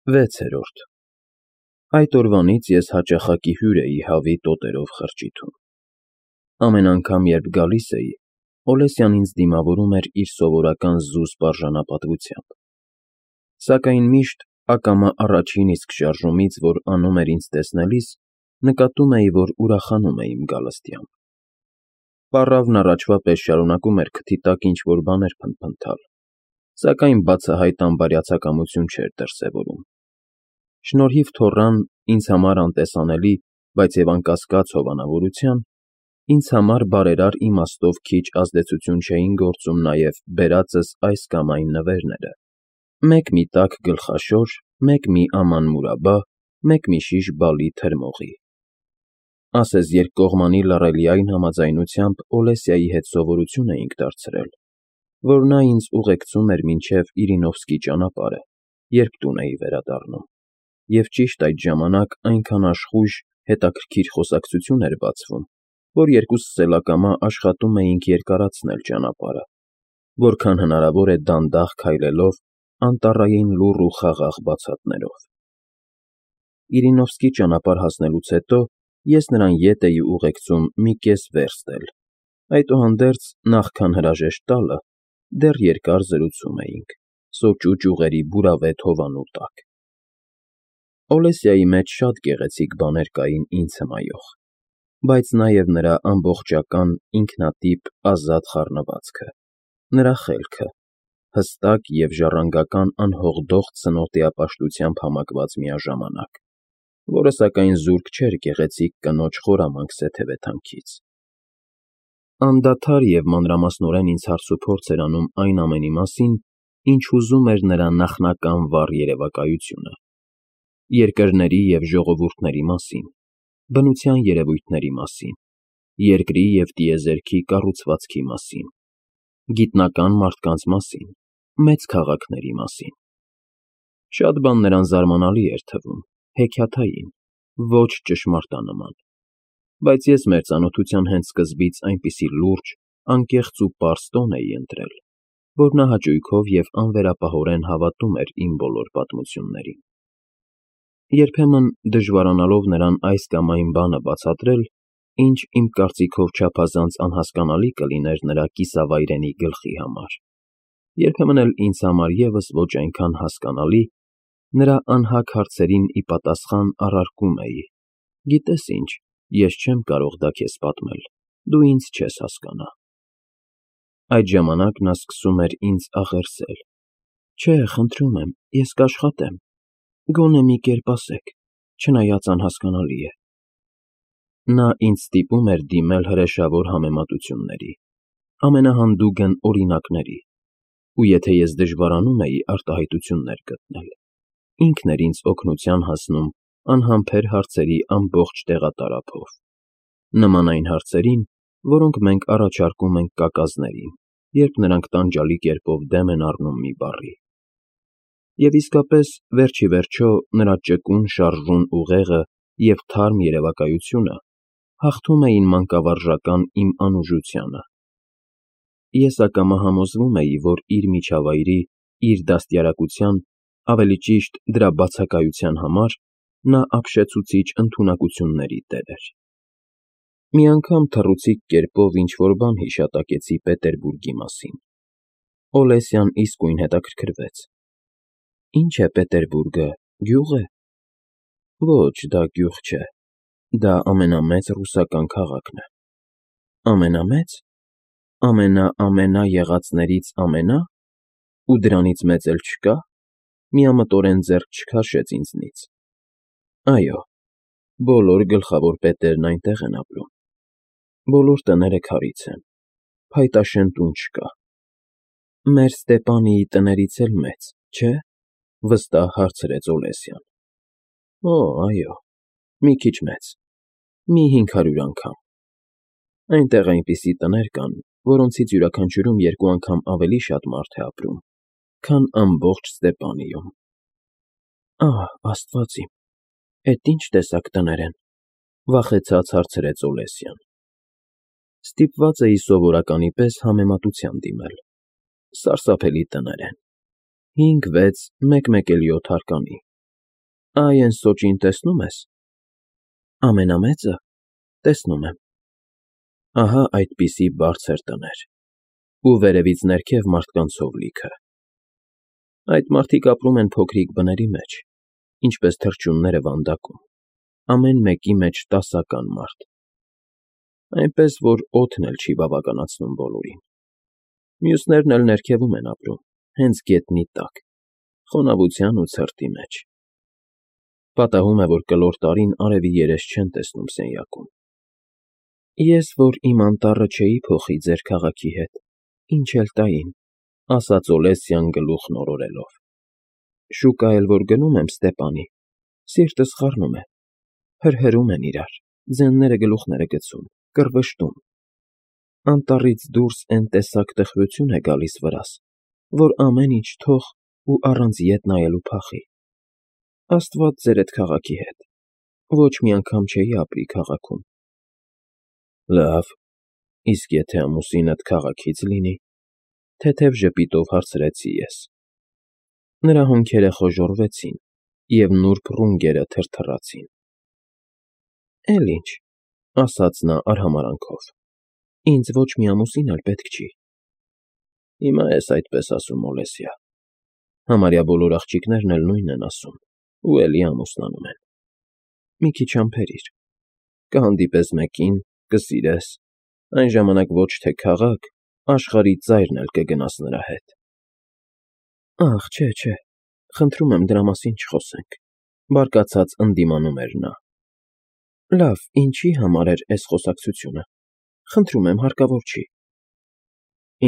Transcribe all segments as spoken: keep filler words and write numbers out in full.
վեցերորդ Այդ օրվանից ես հաճախակի հյուր էի հավի տոտերով խրճիթում։ Ամեն անգամ, երբ գալիս էի, Օլեսյան ինձ դիմավորում էր իր սովորական զուսպ արժանապատվությամբ, սակայն միշտ ակամա առաջին իսկ շարժումից, որ անում էր ինձ տեսնելիս, նկատում էի, որ ուրախանում է իմ գալստյամբ։ Պառավն առաջվա պես շարունակում էր քթի տակ ինչ-որ բաներ փնթփնթալ, սակայն բացահայտ անբարյացակամություն չէր դրսևորում։ Շնորհիվ թոռան, ինձ համար անտեսանելի, բայց և անկասկած հովանավորության, ինձ համար բարերար իմաստով քիչ ազդեցություն չէին գործում նաև բերածս այս կամ այն նվերները. մեկ մի տաք գլխաշոր, մեկ մի աման մուրաբա, մեկ մի շիշ բալի թրմողի։ Ասես երկկողմանի լռելիային համաձայնությամբ Օլեսիայի հետ սովորություն էինք դարձրել, որ նա ինձ ուղեկցում էր մինչև Իրինովսկի ճանապարհը, երբ տուն էի վերադառնում, և ճիշտ այդ ժամանակ այնքան աշխույժ, հետաքրքիր խոսակցություն էր բացվում, որ երկուսս էլ ակամա աշխատում էինք երկարացնել ճանապարհը, որքան հնարավոր է դանդաղ քայլելով, անտառային լուռ ու խաղաղ բացատներով։ Իրինովսկի ճանապարհ հասնելուց հետո ես նրան ետ էի ուղեկցում մի կես վերստ էլ, այդուհանդերձ, նախքան հրաժեշտ տալը, դեռ երկար զրուցում էինք, սոճու ճյուղերի բուրավետ հովանու տակ։ Օլեսիայի մեջ շատ գեղեցիկ բաներ կային ինձ հմայող, բայց նաև նրա ամբողջական, ինքնատիպ, ազատ խառնվածքը, նրա խելքը, հստակ և ժառանգական անհողդող ցնորտիապաշտությամբ համակված միաժամանակ, որը սակայն զուրկ չէր գեղեցիկ կնոջ խորամանկ սեթևեթանքից։ Անդադար և մանրամասնորեն ինձ հարցուփորձ էր անում այն ամենի մասին, ինչ հուզում էր նրա նախնական վառ երևակայությունը. երկրների և ժողովուրդների մասին, բնության երևույթների մասին, երկրի և տիեզերքի կառուցվածքի մասին, գիտնական մարդկանց մասին, մեծ քաղաքների մասին։ Շատ բան նրան զարմանալի էր թվում, հեքիաթային, ոչ ճշմարտանման, բայց ես մեր ծանոթության հենց սկզբից այնպիսի լուրջ, անկեղծ ու պարզ տոն էի ընտրել, որ նա հաճույքով և անվերապահորեն հավատում էր իմ բոլոր պատմություններին։ Երբեմն, դժվարանալով նրան այս կամ այն բանը բացատրել, ինչ իմ կարծիքով չափազանց անհասկանալի կլիներ նրա կիսավայրենի գլխի համար, երբեմն էլ ինձ համար ևս ոչ այնքան հասկանալի, նրա անհագ հարցերին ի պատասխան առարկում էի. «Գիտես ինչ, ես չեմ կարող դա քեզ պատմել, դու ինձ չես հասկանա»։ Այդ ժամանակ նա սկսում էր ինձ աղերսել. «Չէ, խնդրում եմ, ես կաշխատեմ, գոնե մի կերպ ասեք, չնայած անհասկանալի է»։ Նա ինձ ստիպում էր դիմել հրեշավոր համեմատությունների, ամենահանդուգն օրինակների, ու եթե ես դժվարանում էի արտահայտություններ գտնել, ինքն էր ինձ օգնության հասնում անհամբեր հարցերի ամբողջ տեղատարափով, նման այն հարցերին, որոնք մենք առաջարկում ենք կակազներին, երբ նրանք տանջալի կերպով դեմ են առնում մի բառի։ Եվ իսկապես, վերջ ի վերջո, նրա ճկուն շարժուն ուղեղը և թարմ երևակայությունը հաղթում էին մանկավարժական իմ անուժությանը։ Ես ակամա համոզվում էի, որ իր միջավայրի, իր դաստիարակության, ավելի ճիշտ դրա բացակայության համար նա ապշեցուցիչ ընդունակությունների տեր էր։ Մի անգամ թռուցիկ կերպով ինչ֊որ բան հիշատակեցի Պետերբուրգի մասին։ Օլեսյան իսկույն հետաքրքրվեց. «Ի՞նչ է Պետերբուրգը, գյուղ է»։ «Ոչ, դա գյուղ չէ, դա ամենամեծ ռուսական քաղաքն է»։ «Ամենամե՞ծ, ամենաամենա եղածներից ամենա՞, ու դրանից մեծ էլ չկա»։ Միամտորեն ձեռք չքաշեց ինձնից։ «Այո, բոլոր գլխավոր պետերն այնտեղ են ապրում, բոլոր տները քարից են, փայտաշեն տուն չկա»։ «Մեր Ստեպանիի տներից էլ մեծ, չէ՞, վստահ հարցրեց Օլեսյան։ «Օ, այո, մի քիչ մեծ, մի հինգ հարյուր անգամ։ Այնտեղ այնպիսի տներ կան, որոնցից յուրաքանչյուրում երկու անգամ ավելի շատ մարդ է ապրում, քան ամբողջ Ստեպանիում»։ «Ահ, Աստված իմ, էդ ի՞նչ տեսակ տներ են», վախեցած հարցրեց Օլեսյան։ Ստիպված էի սովորականի պես համեմատության դիմել. «Սարսափելի տներ են, հինգ, վեց, մեկ֊մեկ էլ յոթ հարկանի, Այ են սոճին տեսնում ես։ Ամենամեծը տեսնում եմ։ Ահա այդպիսի բարձր տներ, ու վերևից ներքև մարդկանցով լիքը։ Այդ մարդիկ ապրում են փոքրիկ բների մեջ, ինչպես թռչունները վանդակում, ամեն մեկի մեջ տասական մարդ, այնպես որ օդն էլ չի բավականացնում բոլորին։ Մյուսներն էլ ներքևում են ապրում, հենց գետնի տակ, խոնավության ու ցրտի մեջ։ Պատահում է, որ կլոր տարին արևի երես չեն տեսնում սենյակում։ Ես, որ իմ անտառը չէի փոխի ձեր քաղաքի հետ, ինչ էլ տային, ասաց Օլեսյան գլուխն օրորելով։ Շուկա էլ որ գնում եմ Ստեպանի, սիրտս խառնում է, հրհրում են իրար, ձենները գլուխները գցում, կռվշտում։ Անտառից դուրս էն տեսակ տխրություն է գալիս վրաս, որ ամեն ինչ թող ու առանց ետ նայելու փախի։ Աստված ձեր էդ քաղաքի հետ, ոչ մի անգամ չէի ապրի քաղաքում։ Լավ, իսկ եթե ամուսինդ քաղաքից լինի, թեթև ժպիտով հարցրեցի ես։ Նրա հոնքերը խոժոռվեցին, և նուրբ ռունգերը թրթռացին։ Էլ ինչ, ասաց նա արհամարհանքով, ինձ ոչ մի ամուսին էլ պետք չի։ Հիմա ես այդպես ասում, Օլեսյա, համարյա բոլոր աղջիկներն էլ նույնն են ասում, ու էլի ամուսնանում են։ Մի քիչ համբերիր, կհանդիպես մեկին, կսիրես, այն ժամանակ ոչ թե քաղաք, աշխարհի ծայրն էլ կգնաս նրա հետ։ Ախ, չէ, չէ, խնդրում եմ դրա մասին չխոսենք, բարկացած ընդդիմանում էր նա։ Լավ, ինչի համար էր էս խոսակցությունը, խնդրում եմ, հարկավոր չի։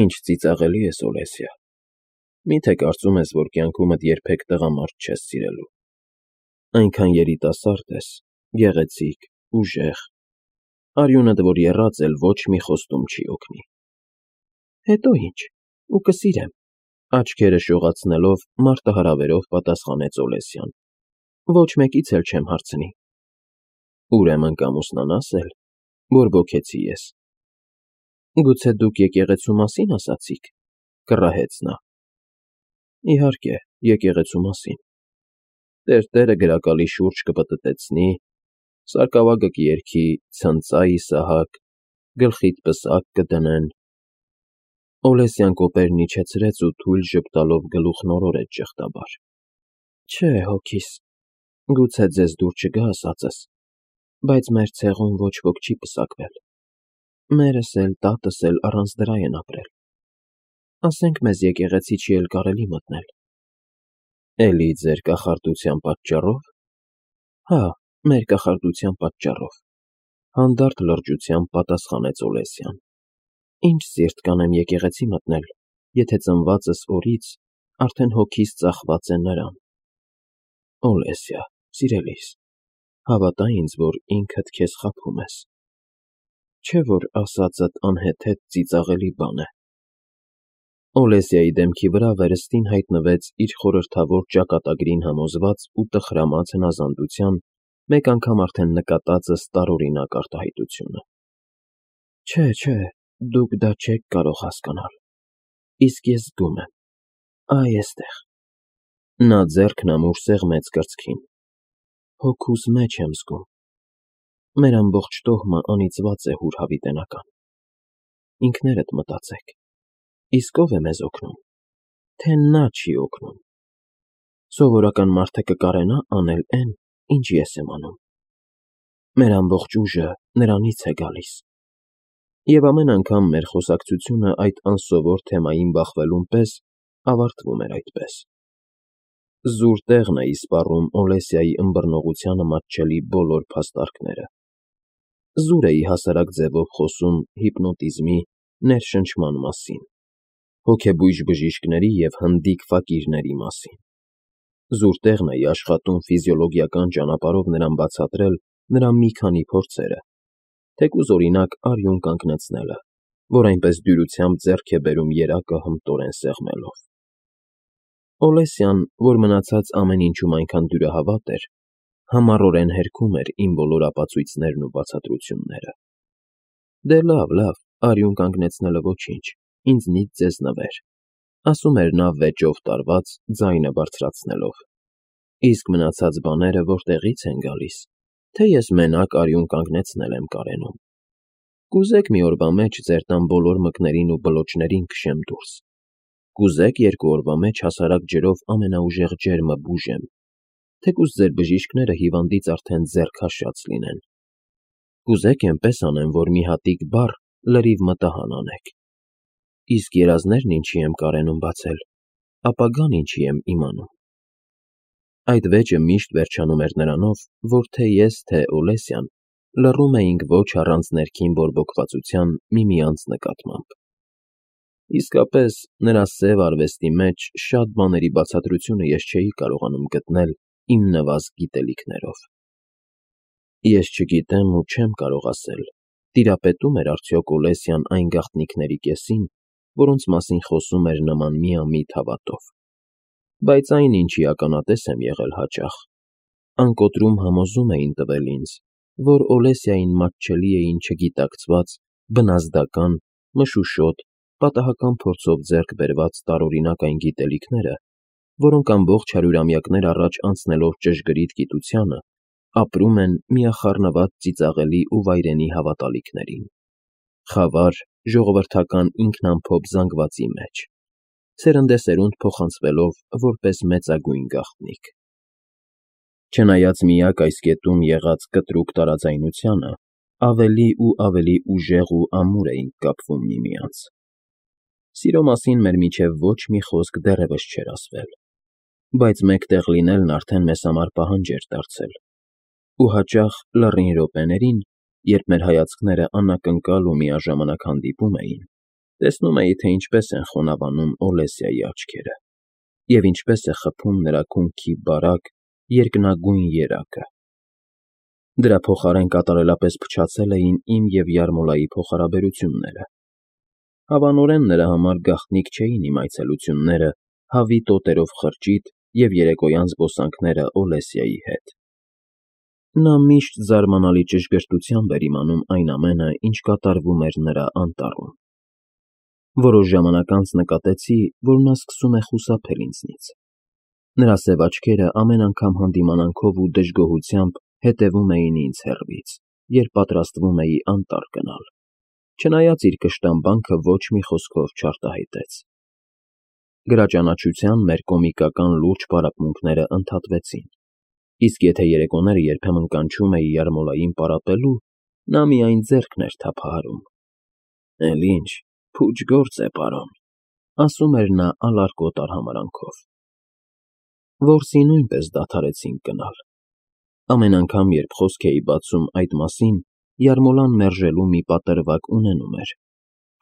Ինչ ծիծաղելի ես, Օլեսյա, միթե կարծում ես, որ կյանքումդ երբեք տղամարդ չես սիրելու։ Այնքան երիտասարդ ես, գեղեցիկ, ուժեղ, արյունդ որ եռած էլ ոչ մի խոստում չի օգնի։ Հետո ինչ, ու կսիրեմ, աչքերը շողացնելով մարտահրավերով պատասխանեց Օլեսյան։ Ոչ մեկից էլ չեմ հարցնի։ Ուրեմն կամուսնանաս էլ, բորբոքեցի ես։ Գուցե դուք եկեղեցու մասին ասացիք, կռահեց նա։ Իհարկե, եկեղեցու մասին։ Տերտերը գրակալի շուրջ կպտտեցնի, սարկավագը կերքի, ցնծա Իսահակ, գլխիդ պսակ կդնեն։ Օլեսյան կոպերն իջեցրեց ու թույլ ժպտալով գլուխն օրորեց ճեղտաբար։ Չէ, հոգիս, գուցե ձեզ դուր չգա ասածս, բայց մեր ցեղում ոչ ոք չի պսակվել։ Մերս էլ, տատս էլ առանց դրա են ապրել։ Ասենք մեզ եկեղեցի չի էլ կարելի մտնել։ Էլի ձեր կախարդության պատճառով։ Հա, մեր կախարդության պատճառով, հանդարտ լրջությամբ պատասխանեց Օլեսյան։ Ինչ սիրտ կանեմ եկեղեցի մտնել, եթե ծնվածս օրից արդեն հոգիս ծախված է նրան։ Օլեսյա, սիրելիս, հավատա ինձ, որ ինքդ քեզ խաբում ես։ Չէ՞ որ ասածդ անհեթեթ ծիծաղելի բան է։ Օլեսյայի դեմքի վրա վերստին հայտնվեց իր խորհրդավոր ճակատագրին համոզված ու տխրամած հնազանդության մեկ անգամ արդեն նկատածս տարօրինակ արտահայտությունը։ Չէ, չէ, դուք դա չեք կարող հասկանալ, իսկ ես զգում եմ, այ էստեղ։ Նա ձեռքն ամուր սեղմեց կրծքին։ Հոգուս մեջ եմ զգում։ Մեր ամբողջ տոհմը անիծված է հուր հավիտենական։ Ինքներդ մտածեք, իսկ ով է մեզ օգնում, թե նա չի օգնում։ Սովորական մարդը կկարենա անել էն, ինչ ես եմ անում։ Մեր ամբողջ ուժը նրանից է գալիս։ Եվ ամեն անգամ մեր խոսակցությունը այդ անսովոր թեմային բախվելուն պես ավարտվում էր այդպես։ Զուր տեղն է իսպառում Օլեսյայի ըմբռնողությանը մատչելի բոլոր փաստարկները։ Զուր էի հասարակ ձևով խոսում հիպնոտիզմի, ներշնչման մասին, հոգեբույժ բժիշկների և հնդիկ ֆակիրների մասին։ Զուր տեղն էի աշխատում ֆիզիոլոգիական ճանապարհով նրան բացատրել նրա մի քանի փորձերը, թեկուզ օրինակ արյուն կանգնեցնելը, որ այնպես դյուրությամբ ձեռք է բերում երակը հմտորեն սեղմելով։ Օլեսյան, որ մնացած ամեն ինչում այնքան դյուրահավատ էր, համառորեն հերքում էր իմ բոլոր ապացույցներն ու բացատրությունները։ Դե լավ, լավ, արյուն կանգնեցնելը ոչինչ, ինձնից ձեզ նվեր, ասում էր նա վեճով տարված, ձայնը բարձրացնելով։ Իսկ մնացած բաները որտեղի՞ց են գալիս, թե ես մենակ արյուն կանգնեցնել եմ կարենում։ Կուզեք մի օրվա մեջ ձեր տան բոլոր մկներին ու բլոճներին քշեմ դուրս, կուզեք երկու օրվա մեջ հասարակ ջրով ամենաուժեղ ջերմը բուժեմ, թեկուզ ձեր բժիշկները հիվանդից արդեն ձեռքաշած լինեն։ Կուզեք էնպես անեմ, որ մի հատիկ բառ լրիվ մտահան անեք։ Իսկ երազներն ինչի եմ կարենում բացել, ապագան ինչի եմ իմանում։ Այդ վեճը միշտ վերջանում էր նրանով, որ թե ես, թե Օլեսյան լռում էինք ոչ առանց ներքին բորբոքվածության միմյանց նկատմամբ։ Իսկապես, նրա սև արվեստի մեջ շատ բաների բացատրությունը ես չէի կարողանում գտնել իմ նվազ գիտելիքներով։ Ես չգիտեմ ու չեմ կարող ասել, տիրապետում էր արդյոք Օլեսյան այն գաղտնիքների կեսին, որոնց մասին խոսում էր նման միամիտ հավատով։ Բայց այն, ինչի ականատես եմ եղել հաճախ, անկոտրում համոզում էին տվել ինձ, որ Օլեսիային մատչելի էին չգիտակցված, բնազդական, մշուշոտ, պատահական փորձով ձեռք բերված տարօրինակ այն գիտելիքները, որոնք ամբողջ հարյուրամյակներ առաջ անցնելով ճշգրիտ գիտությանը, ապրում են միախառնված ծիծաղելի ու վայրենի հավատալիքներին, խավար, ժողովրդական ինքնամփոփ զանգվածի մեջ, սերնդեսերունդ փոխանցվելով որպես մեծագույն գաղտնիք։ Չնայած միակ այս կետում եղած կտրուկ տարաձայնությանը, ավելի ու ավելի ուժեղ ու ամուր էինք կապվում միմյանց։ Սիրո մասին մեր միջև ոչ մի խոսք դեռևս չէր ասվել, բայց մեկտեղ լինելն արդեն մեզ համար պահանջ էր դարձել, ու հաճախ լռին րոպեներին, երբ մեր հայացքները անակնկալ ու միաժամանակ հանդիպում էին, տեսնում էի, թե ինչպես են խոնավանում Օլեսիայի աչքերը, և ինչպես է խփում նրա քունքի բարակ, երկնագույն երակը։ Դրա փոխարեն կատարելապես փչացել էին իմ և Յարմոլայի փոխհարաբերությունները։ Հավանորեն նրա համար գաղտնիք չէին իմ այցելությունները հավի տոտերով խրճիթ և երեկոյան զբոսանքները Օլեսիայի հետ։ Նա միշտ զարմանալի ճշգրտությամբ էր իմանում այն ամենը, ինչ կատարվում էր նրա անտառում։ Որոշ ժամանակ անց նկատեցի, որ նա սկսում է խուսափել ինձնից։ Նրա սև աչքերը ամեն անգամ հանդիմանանքով ու դժգոհությամբ հետևում էին ինձ հեռվից, երբ պատրաստվում էի անտառ գնալ, չնայած իր կշտամբանքը ոչ մի խոսքով չարտահայտեց։ Գրաճանաչության մեր կոմիկական լուրջ պարապմունքները ընդհատվեցին, իսկ եթե երեկոները երբեմն կանչում էի Յարմոլային պարապելու, նա միայն ձեռքն էր թափահարում։ «Էլ ինչ, փուչ գործ է, պարոն», ասում էր նա ալարկոտ արհամարհանքով։ Որսի նույնպես դադարեցինք գնալ։ Ամեն անգամ, երբ խոսք էի բացում այդ մասին, Յարմոլան մերժելու մի պատրվակ ունենում էր,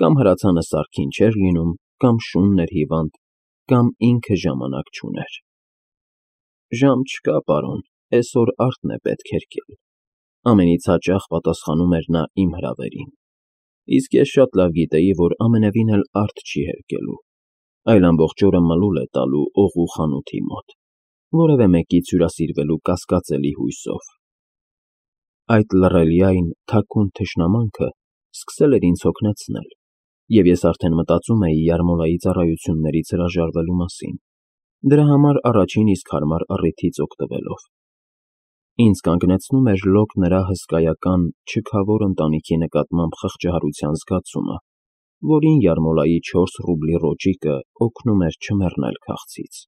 կամ հրացանը սարքին չէր լինում, կամ շունն էր հիվանդ, կամ ինքը ժամանակ չուներ։ «Ժամ չկա, պարոն, էսօր արդն է պետք հերկել», ամենից հաճախ պատասխանում էր նա իմ հրավերին, իսկ ես շատ լավ գիտեի, որ ամենևին էլ արդ չի հերկելու, այլ ամբողջ օրը մլուլ է տալու օղու խանութի մոտ, որևէ մեկից հյուրասիրվելու կասկածելի հույսով։ Այդ լռելյայն, թաքուն թշնամանքը սկսել էր ինձ հոգնեցնել, և ես արդեն մտածում էի Յարմոլայի ծառայություններից հրաժարվելու մասին, դրա համար առաջին իսկ հարմար առիթից օգտվելով։ Ինձ կանգնեցնում էր լոկ նրա հսկայական, չքավոր ընտանիքի նկատմամբ խղճահարության զգացումը, որին Յարմոլայի չորս ռուբլի ռոճիկը օգնում էր չմեռնել քաղցից։